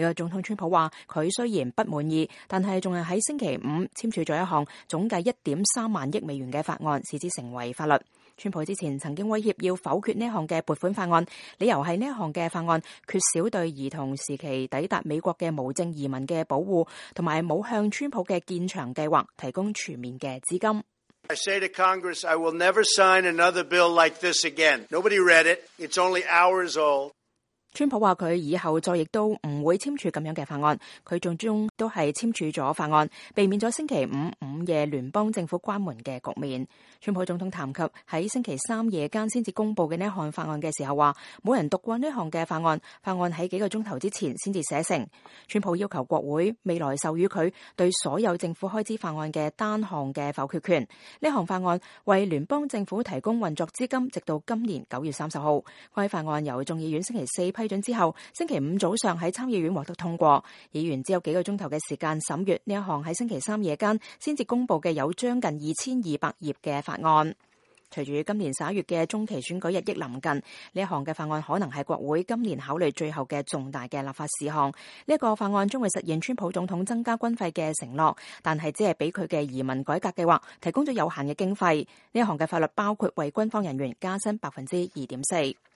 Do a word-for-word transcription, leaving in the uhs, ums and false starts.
美國總統川普話，佢雖然不滿意，但係仲係喺星期五簽署咗一項總計一點三萬億美元嘅法案，使之成為法律。川普之前曾經威脅要否決呢項嘅撥款法案，理由係呢項嘅法案缺少對兒童時期抵達美國嘅無證移民嘅保護，同埋冇向川普嘅建牆計劃提供全面嘅資金。I say to Congress, I will never sign another bill like this again. Nobody read it. It's only hours old. 川普話佢以後再亦都唔會簽署咁樣嘅法案，佢最終都係簽署咗法案，避免咗星期五午夜聯邦政府關門嘅局面。川普總統談及喺星期三夜間先至公布嘅呢項法案嘅時候話，冇人讀過呢項嘅法案，法案喺幾個鐘頭之前先至寫成。川普要求國會未來授予佢對所有政府開支法案嘅單項嘅否決權。呢項法案為聯邦政府提供運作資金，直到今年九月三十號。該法案由眾議院星期四批准之後，星期五早上喺參議院獲得通過。議員只有幾個鐘頭嘅時間審閱呢一項喺星期三夜間先至公布嘅有將近二千二百頁嘅法案。隨住今年十一月嘅中期選舉日益臨近，呢一項嘅法案可能係國會今年考慮最後嘅重大嘅立法事項。呢一個法案將會實現川普總統增加軍費嘅承諾，但係只係俾佢嘅移民改革計劃提供咗有限嘅經費。呢一項嘅法律包括為軍方人員加薪百分之二點四。